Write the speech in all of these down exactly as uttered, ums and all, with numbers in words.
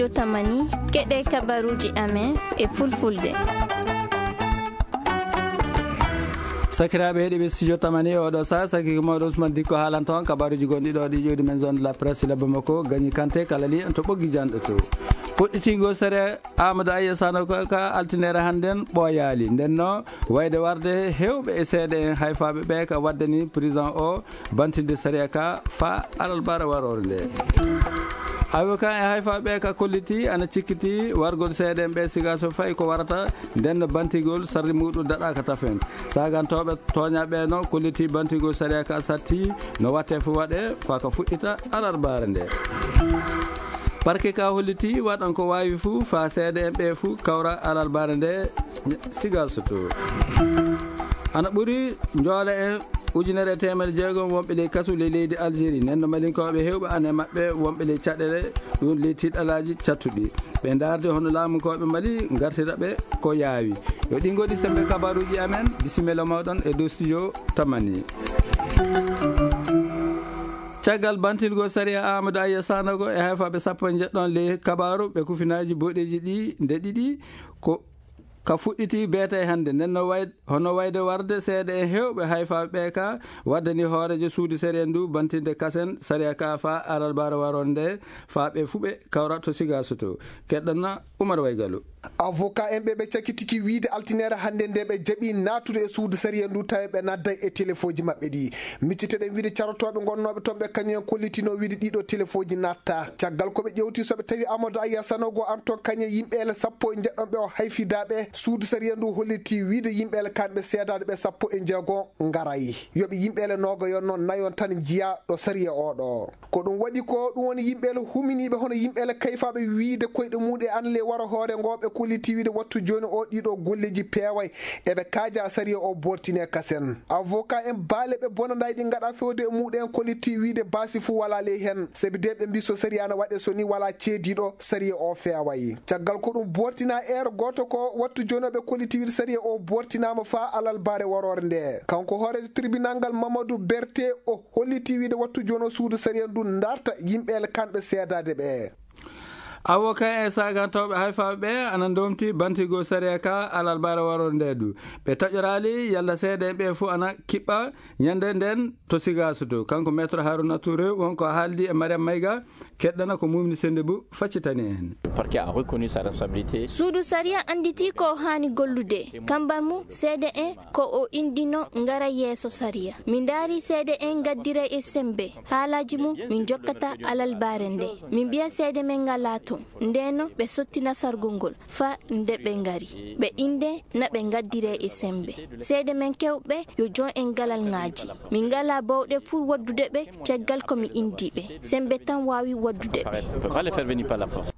Yo Tamani, keɗe kabaruuji amen e Fulfulde. Sakiraaɓe heɗiiɓe Studio Tamani, oɗo saha saki ko mawɗo Ousmane Dikko haalanta on kabaruuji gonɗi ɗo ɗi ƴoodi men zone de la presse Labba Makko, Gañi Kanté, kala li en to ɓoggi janɗo to. Fuɗɗitingol sere Amadou Ayya Sanogo ka altinere hannden ɓooyaali. Nden no wayde warde hewɓe e seede en hayfaaɓe ɓe ka waddani président o bantinde sariya ka fa alarbaare waroore nde. Avocat e hayfaaɓe ɓe ka kolliti ana cikkiti wargol seede en ɓe siga so fayi ko warata nden no bantigol sarri muɗum daɗaka tafen. Sagantooɓe tooñaaɓe no kolliti bantigol sariya ka satti no watte fu waɗe fa ka fuɗɗita alarbaare nde. Parke ka holliti waɗan ko waawi fu fa seede en ɓe fu kawra alarbaare nde siga so to. Ana ɓuri njoole en ujunere e teemedde jeegom wonɓe ley kasu ley leydi Algérie. Nden no Malinkooɓe hewɓe ana e maɓɓe wonɓe ley caɗeele ɗum ley tiɗalaaji cattuɗi. Ɓe ndaarde hono laamunkooɓe Mali ngartira ɓe ko yaawi. Yo ɗi ngoni sembe kabaruuji amen. Bisimilla mawɗon e dow studio Tamani. Caggal bantilgol sariya Amadou Ayya Sanogo e hayfaaɓe sappo e njeɗɗon ley kabaaru ɓe kufinaaji boɗeeji ɗi nde ɗiɗi ko ka fuɗɗiti beeta e hannde. Nden no way-, hono wayde warde seeɗa e heewɓe hayfaaɓe ɓe ka waddani hooreejo suudu sariya ndu bantinde kasen sariya ka fa alarbaare waroore nde fa ɓe fu ɓe kawra to Siga Soto. Keɗɗon na Umar Waygalu. Avocat en ɓe ɓe cakitiki wiide altinere hannde nde ɓe jaɓi naatude e suudu sariya ndu tawi ɓe nadday e telefooji maɓɓe ɗi. Micciteɗen wiide carotooɓe gonnooɓe toon ɓe kañum en kollitino wiide ɗiɗo telefooji natta. Caggal ko ɓe ƴewti so ɓe tawi Amadou Ayya Sanogo an toon kañum e yimɓeele sappo e njeɗɗon ɓe o hayfidaaɓe suudu sariya ndu holliti wiide yimɓeele kanɓe seedaaɗe ɓe sappo e jeego ngaray. Yoɓe yimɓeele noogayon noon nayon tan njiya ɗo sariya oɗo. Ko ɗum waɗi ko ɗum woni yimɓeele huminiiɓe hono yimɓeele kayfaaɓe wiide koyɗe muɗe an le wara hoore ngo ɓe kolliti wiide wattu jooni o ɗiɗo golleji peeway eɓe kaaja sariya o bortine kasen. Avocat en baale ɓe bonanday ɗi ngaɗa fewde e muɗen kolliti wiide baasi fu wala ley hen. Sabi de ɓe mbi so sariya na waɗe so ni wala ceediɗo sariya o feeway. Caggal ko ɗum bortina eero gooto ko wattu jooni o ɓe kolliti wiide sariya o bortinama fa alalbare warore nde. Kanko hoorejo tribunal ngal Mamadou Berté o holliti wiide wattu jooni o suudu sariya ndu darta yimɓeele kanɓe seedaade ɓe. Avocat e sagantooɓe hayfaaɓe ɓe ana ndomti bantigol sariya ka alalbare warore nde du. Ɓe taƴoraali yalla seede en ɓe fu ana kiɓɓa ñande nden to Siga Soto. Kanko Maître Harouna Touré won ko haaldi e Mariam Mayga, keɗɗana ko Mumni Sendebou faccitani en. Le parquet a reconnu sa responsabilité. Suudu sariya anditi ko o haani gollude. Kambar mu seede en ko o indino ngara yeeso sariya. Min ndaari seede en ngaddira e sembe. Haalaaji mum min jokkata alalbare nde. Min mbiya seede men ngalaa toon. Ndeno ɓe sottina sargol ngol fa nde ɓe ngari. Ɓe inde na ɓe ngaddire e sembe. Seede men kewɓe yo jon en galal ŋaaji. Min ngalaa bawɗe fur waddude ɓe caggal ko mi indi ɓe. Sembe tan waawi waddude ɓe. On peut pas les faire venir par la force.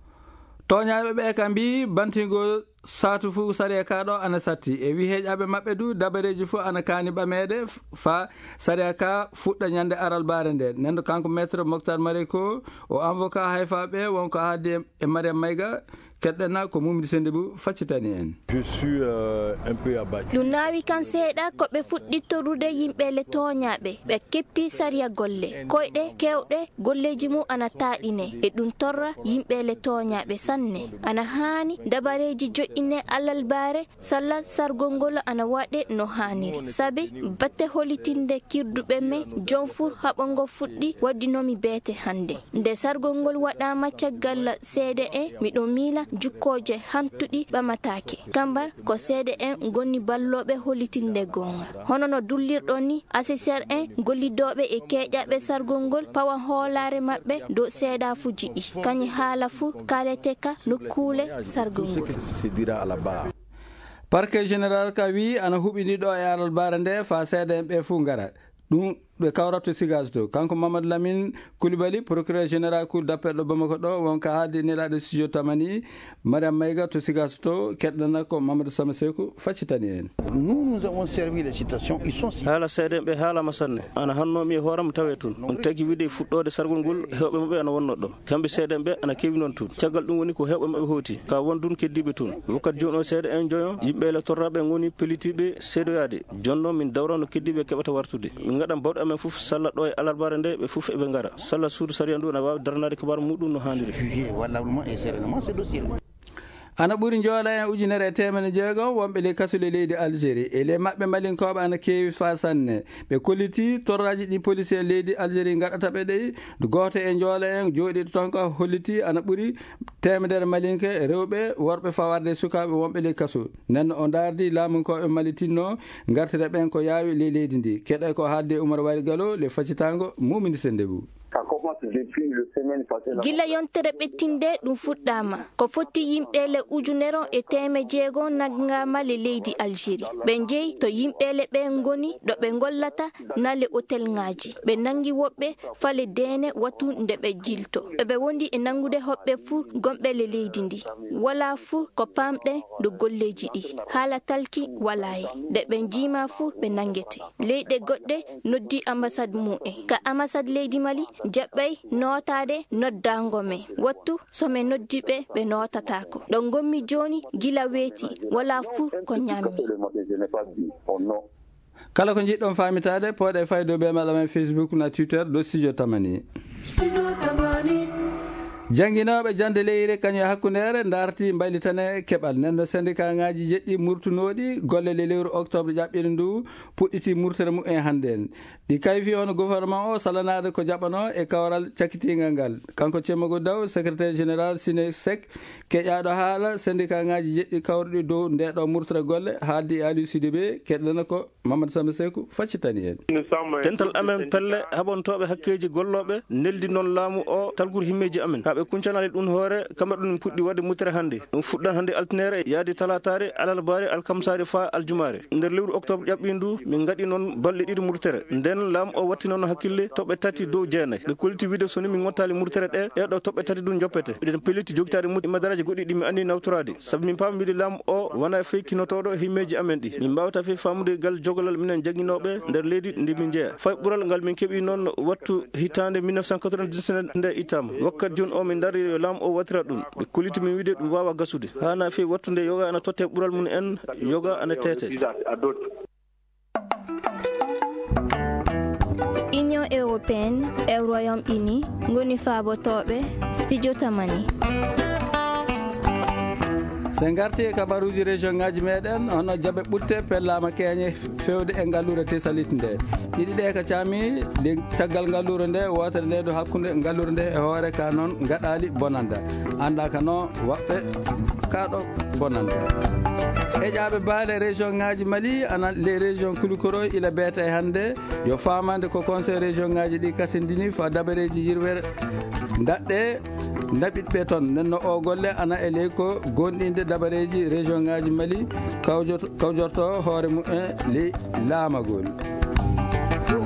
Tooñaaɓe ɓe ka mbi bantingol saatu fu sariya ka ɗo ana satti. E wi heeƴaaɓe maɓɓe du dabareeji fu ana kaani ɓameede f-, fa sariya ka fuɗɗa ñande alalbare nde. Nden kanko Maître Moctar Mareko o avocat hayfaaɓe won ko haaldi e, e Mariam Mayga, keɗɗana ko Mumdi Sendebou faccitani en. Je suis, euh, un peu abattu. Ɗum naawi kan seeɗa ko ɓe fuɗɗittorude yimɓe le tooñaaɓe. Ɓe keppi sariya golle. Koyɗe kewɗe golleeji mum ana taaɗine. E ɗum torra yimɓe le tooñaaɓe sanne. Ana haani dabareeji joƴƴine alalbare salla sargol ngol ana waɗe no haaniri. Sabi batte holitinde kirduɓe men, jon fur haɓo ngo fuɗɗi waddinomi beete hannde. Nde sargol ngol waɗaama caggal seede en, miɗo miila jukkooje hantuɗi ɓamataake. Kambar ko seede en ngoni ballooɓe holitinde goonga. Hono no dullirɗon ni, asiser en, gollidooɓe e keeƴaaɓe sargol ngol pawa hoolaare maɓɓe dow seedaafuuji ɗi. Kañi haala fur kaalete ka nokkuule sargol ngol. C'est dire à la barre. Parquet général ka wi ana huɓini ɗo e alalbare nde fa seede en ɓe fu ngara. Ɗum ɓe kawrato Siga Soto. Kanko Mamadou Lamine Coulibaly, procureur général cour d'appel ɗo Bamako ɗo, won ka haaldi nelaaɗo studio Tamani, Mariam Mayga to Siga Soto, keɗɗana ko Mamadou Sama Seku faccitani en. Nous, nous avons servi les citations, ils sont ci- Haala seede ɓe haalama sanne. Ana hanno mi e hooram tawe toon. On tagi wiide fuɗɗoode sargol ngol, heewɓe maɓɓe ana wonno ɗo. Kamɓe seedeɓe ana keewi noon toon. Caggal ɗum woni ko heewɓe maɓɓe hooti. Ka won ɗum keddiiɓe toon. Wakkati jooni o seeɗa en joyo, yimɓe le torraɓe ngoni pellitiiɓe seedoyaade. Jooni noon min dawrano keddiiɓe keɓata wartude. Min ngaɗan bawɗe amen fof, salla ɗo e alarbaare nde, ɓe fof eɓe ngara. Salla suudu sariya ndu ene waawi daranaade kibar muɗum no haaniri. Juge, walla mo e sere no mo, c'est dossier. Ana ɓuri njoola en ujunere e teemedde jeegom wonɓe ley kasule leydi Algérie. E ley maɓɓe malinkooɓe ana keewi faa sanne. Ɓe kolliti torraaji ɗi polisi en leydi Algérie ngaɗata ɓe ɗi. Gooto e njoola en jooɗiiɗo toon ka holliti ana ɓuri teemedere malinke rewɓe, worɓe fawarde e sukaaɓe wonɓe ley kasu. Nden o ndaardi laamunkooɓe malitinno ngartira ɓen ko yaawi ley leydi ndi. Keɗa ko haalde Umar Wali Galo le facitaango Mumini Sendebu. Ça commence depuis le semaine passée, là. Gila yontere ɓettinde ɗum fuɗɗaama. Ko foti yimɓe le ujunere e teemedde jeego nanngaama le leydi Algérie. Ɓe njeyi to yimɓe le ɓe ngoni ɗo ɓe ngollata na le hotelŋaaji. Ɓe nanngi woɓɓe fale deene wattu nde ɓe jilto. Eɓe wondi e nanngude hoɓɓe fuu gonɓe le leydi ndi. Wala fuu ko paamɗen do golleeji ɗi. Haala talki wala he. Nde ɓe njiima fuu ɓe nanngete. Leyɗe goɗɗe noddi ambassade mum en. Ka ambassade leydi Mali jaɓɓay nootaade noddaango men. Wattu so men noddi ɓe, ɓe nootataako. Ɗo ngonmi jooni gila weeti, wala fuu ko ñaammi. Kala ko njiɗɗon faamitaade, pooɗe faydo be maɗa men Facebook na Twitter ɗo Studio Tamani. Jannginooɓe jannde leyre kañum e hakkundeere ndarti mbaylitane keɓal. Nden no sendikaaŋaaji jeɗɗi murtunooɗi golle le lewru octobre ƴaɓɓiiɗo ndu puɗɗiti murtere mum en hannde en. Ɗi kayfi hono gouvernement o salanaade ko jaɓanoo e kawral cakkitiingal ngal. Kanko Cemmogo Daw, secrétaire général Sinesec, keƴaaɗo haala sendikaaŋaaji jeɗɗi kawruɗi dow ndeeɗo murtere golle, haaldi e Aliou Sidibé, keɗɗana ko Mamadou Samba Seku faccitani en. Dental amen pelle haɓantooɓe hakkeeji gollooɓe neldi noon laamu o talguru himmeeji amen. Kaa ɓe kuncanaali ɗum hoore, kamɓe ɗum puɗɗi waɗde murtere hannde. Ɗum fuɗɗan hannde altinaare, yaadi talaataare, alarbaare, alkamsaare faa aljumaare. Nder lewru octobre ƴaɓɓiindu, min ngaɗi noon balɗe ɗiɗi murtere. Nden laamu o watti noon hakkille toɓɓe tati dow jeenay. Ɓe kolliti wiide so ni min ngottaali murtere ɗe, ɗee ɗo toɓɓe tati ɗum joppete. Miɗen pelliti jogitaade murtere e madaraaji goɗɗi ɗi mi anndi nawtoraade. Sabu min paami wiide laamu o wonaa fey kinotooɗo himmeeji amen ɗi. Min mbaawata fey faamude gal jogalal minen jannginooɓe nder leydi ndi min njeya. Fay ɓural ngal min keɓi noon wattu hitaande mille neuf cent quatre-vingt-dix-neuf nde ittaama. Wakkati jooni o min ndaari yo laamu o wattira ɗum. Ɓe kolliti min wiide ɗum waawaa gasude. Haanaa fey wattu nde yoga ana totte ɓural mum en, yoga ana teete. Union européenne e Royaume-Uni ngoni faabotooɓe Studio Tamani. So en ngartii e kabaruuji région ŋaaji meɗen, hono jaɓe ɓutte pellaama keeñe feewde e ngalluure Tesalit nde. Ɗiɗi ɗe ka caami, ɗe caggal ngalluure nde, wootere nde ɗo hakkunde ngalluure nde e hoore ka noon ngaɗaali bonanda. Annda ka no waɓɓe ka ɗo bonanda. Heƴaaɓe baale région ŋaaji Mali, ana les régions Koulikoro ila beeta e hannde, yo faamande ko conseil région ŋaaji ɗi kasindini fa dabareeji yirwere ndaɗɗe ndaɓitɓe toon. Nden no o golle ana e ley ko gondinde dabareeji région ŋaaji Mali kawjoto-, kawjorto hoore mum e ley laamagol.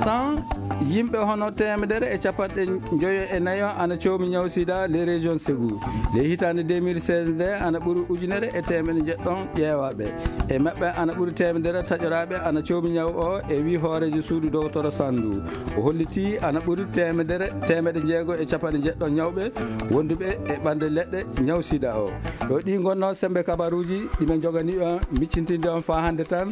San yimɓe hono teemedere e capanɗe njoyo e nayo ana coomi ñaw sida le région Ségou. Le hitaande deux mille seize nde ana ɓuri ujunere e teemedde jeɗɗon ƴeewaaɓe. E maɓɓe ana ɓuri teemedere taƴoraaɓe ana coomi ñaw o e wi hooreejo suudu Docteur Sandu. O holliti ana ɓuri teemedere, teemedde jeego e capanɗe jeɗɗo ñawɓe wonduɓe e ɓanɗe leɗɗe ñaw sida o. Ɗo ɗi ngonno sembe kabaruuji ɗi men jogani on miccintinde on faa hannde tan.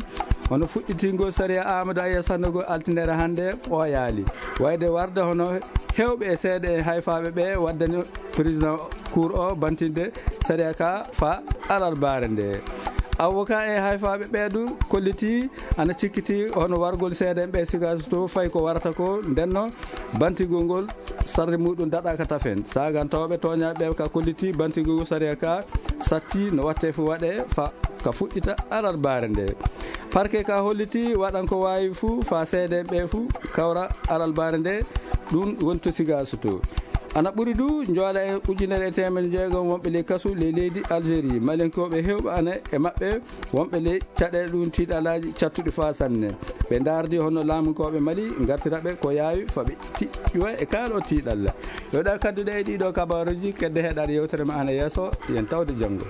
Hono fuɗɗitingol sariya Amadou Aya Sandogo altinere hannde ɓooyaali. Wayde warde hono heewɓe e seeɗa e hayfaaɓe ɓe waddani président cour o bantinde sariya ka fa alarbaare nde. Avocat e hayfaaɓe ɓeeɗu kolliti ana cikkiti hono wargol seedeeɓe Sigaso to fay ko warata ko ndenno bantigol ngol sarde muɗum daɗaka tafen. Saagantooɓe tooñaaɓe ɓe ka kolliti bantigol sariya ka satti no watte fu waɗe fa ka fuɗɗita alarbaare nde. Parquet ka holliti waɗan ko waawi fu fa seedeeɓe fu kawra alarbaare nde ɗum wonto Sigaso to. Ana ɓuri du njoola e ujunere e teemedde jeegom wonɓe ley kasu ley leydi Algérie. Malinkooɓe heewɓe ana e maɓɓe wonɓe ley caɗeele ɗum tiiɗalaaji cattuɗi faa sanne. Ɓe ndaardi hono laamunkooɓe Mali ngartira ɓe ko yaawi fa ɓe tiɗɗuwa e kaalo tiiɗalla. Yo ɗa kadduɗe e ɗiɗo kabaaruuji kedde heɗaade yewtere ma ana yeeso yen tawde janngo.